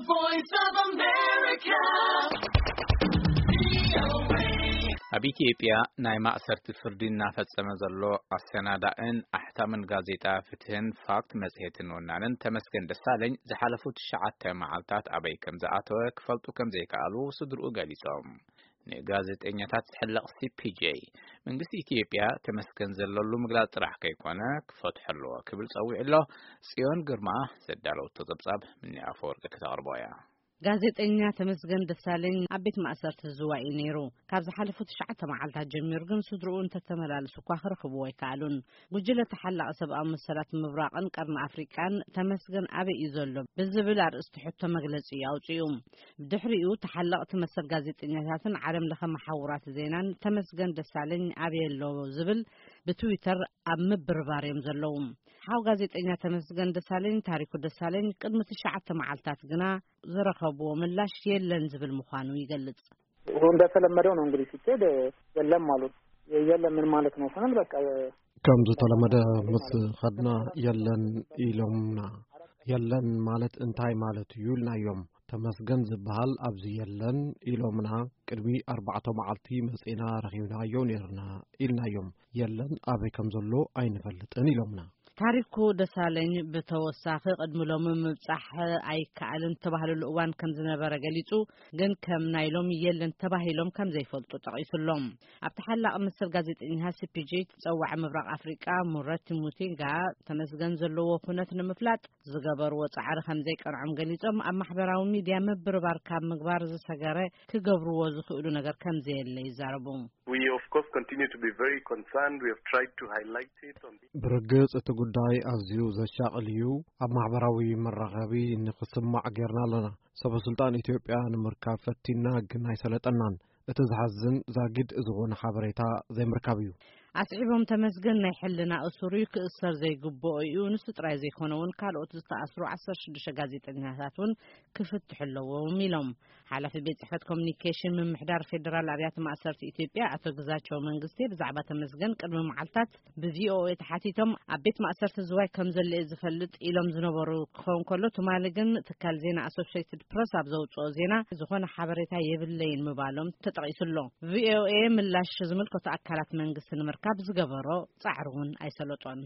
Voice of America. ኣብ ኢትዮጵያ ናይ ማእሰርቲ ፍርዲ እናፈጸመ ዘሎ ኣሰናዳእን ኣሕታምን ጋዜጣ ፍትህን ፋክት መጽሔትን ወናንን ተመስገን ደሳለኝ ዝሓለፉ ትሽዓተ መዓልታት ኣበይ ከም ዝኣተወ ክፈልጡ ከም ዘይከኣሉ ስድርኡ ገሊጾም። ንጋዜጠኛታት ዝሕለቕ ሲ ፒ ጄ መንግስቲ ኢትዮጵያ ተመስገን ዘለሉ ምግላጽ ጥራሕ ከይኮነ ክፈትሖ ኣለዎ ክብል ጸዊዑ ኣሎ። ጽዮን ግርማ ዘዳለወቶ ጸብጻብ ምኒ ኣፈወርቂ ክተቕርቦ እያ። ጋዜጠኛ ተመስገን ደሳለኝ ኣብ ቤት ማእሰርቲ ዝዋይ እዩ ነይሩ። ካብ ዝሓለፉ ትሽዓተ መዓልታት ጀሚሩ ግን ስድርኡ እንተተመላለሱ እኳ ክረኽብዎ ኣይከኣሉን። ጉጅለ ተሓላቒ ሰብኣዊ መሰላት ምብራቕን ቀርኒ ኣፍሪቃን ተመስገን ኣበይ እዩ ዘሎ ብዝብል ኣርእስቲ ሕቶ መግለጺ እዩ ኣውጺኡ። ብድሕሪኡ ተሓለቕቲ መሰል ጋዜጠኛታትን ዓለም ለኸ መሓውራት ዜናን ተመስገን ደሳለኝ ኣበይ ኣሎ ዝብል ብትዊተር ኣብ ምብርባር እዮም ዘለዉ። ሓው ጋዜጠኛ ተመስገን ደሳለኝ ታሪኩ ደሳለኝ ቅድሚ ትሽዓተ መዓልታት ግና ዝረኸብዎ ምላሽ የለን ዝብል ምዃኑ ይገልጽ። እንደተለመደው ነው እንግዲህ ሲኬድ የለም አሉት። የለም ምን ማለት ነው ስንል በቃ ከም ዝተለመደ ምስ ኸድና የለን ኢሎምና። የለን ማለት እንታይ ማለት እዩ ኢልናዮም። ተመስገን ዝበሃል ኣብዚ የለን ኢሎምና። ቅድሚ ኣርባዕተ መዓልቲ መጺና ረኺብናዮ ነይርና ኢልናዮም። የለን ኣበይ ከም ዘሎ ኣይንፈልጥን ኢሎምና። ታሪኩ ደሳለኝ ብተወሳኺ ቅድሚ ሎሚ ምብጻሕ ኣይከኣልን ተባህልሉ እዋን ከም ዝነበረ ገሊጹ፣ ግን ከም ናይ ሎሚ የለን ተባሂሎም ከም ዘይፈልጡ ጠቒሱሎም። ኣብ ተሓላቒ መሰል ጋዜጠኛ ሲ ፒ ጂ ትጸዋዕ ምብራቕ ኣፍሪቃ ሙረቲ ሙቲንጋ ተመስገን ዘለዎ ኩነት ንምፍላጥ ዝገበርዎ ጻዕሪ ከም ዘይቀንዖም ገሊጾም፣ ኣብ ማሕበራዊ ሚድያ ምብርባር ካብ ምግባር ዝሰገረ ክገብርዎ ዝኽእሉ ነገር ከም ዘየለ ይዛረቡ። We of course continue to be very concerned. We have tried to highlight it on the ብርግጽ እቲ ጉዳይ ኣዝዩ ዘሻቕል እዩ። ኣብ ማሕበራዊ መራኸቢ ንኽስማዕ ጌርና ኣለና። ሰበ ስልጣን ኢትዮጵያ ንምርካብ ፈቲና ግን ኣይሰለጠናን። እቲ ዝሓዝን ዛጊድ ዝኾነ ሓበሬታ ዘይምርካብ እዩ። ኣስዒቦም ተመስገን ናይ ሕልና እሱር እዩ፣ ክእሰር ዘይግብኦ እዩ። ንሱ ጥራይ ዘይኮነ እውን ካልኦት ዝተኣስሩ ዓሰርተ ሽዱሽተ ጋዜጠኛታት እውን ክፍትሑ ኣለዎም ኢሎም። ሓላፊ ቤት ጽሕፈት ኮሚኒኬሽን ምምሕዳር ፌደራል ኣብያተ ማእሰርቲ ኢትዮጵያ ኣቶ ግዛቸው መንግስቴ ብዛዕባ ተመስገን ቅድሚ መዓልታት ብ ቪ ኦ ኤ ተሓቲቶም ኣብ ቤት ማእሰርቲ ዝዋይ ከም ዘሎ እየ ዝፈልጥ ኢሎም ዝነበሩ ክኸውን ከሎ፣ ትማሊ ግን ትካል ዜና ኣሶሽየትድ ፕረስ ኣብ ዘውጽኦ ዜና ዝኾነ ሓበሬታ የብለይን ምባሎም ተጠቒሱ ኣሎ። ቪ ኦ ኤ ምላሽ ዝምልከቱ ኣካላት መንግስቲ ንምርካብ ዝገበሮ ጻዕሪ እውን ኣይሰለጦን።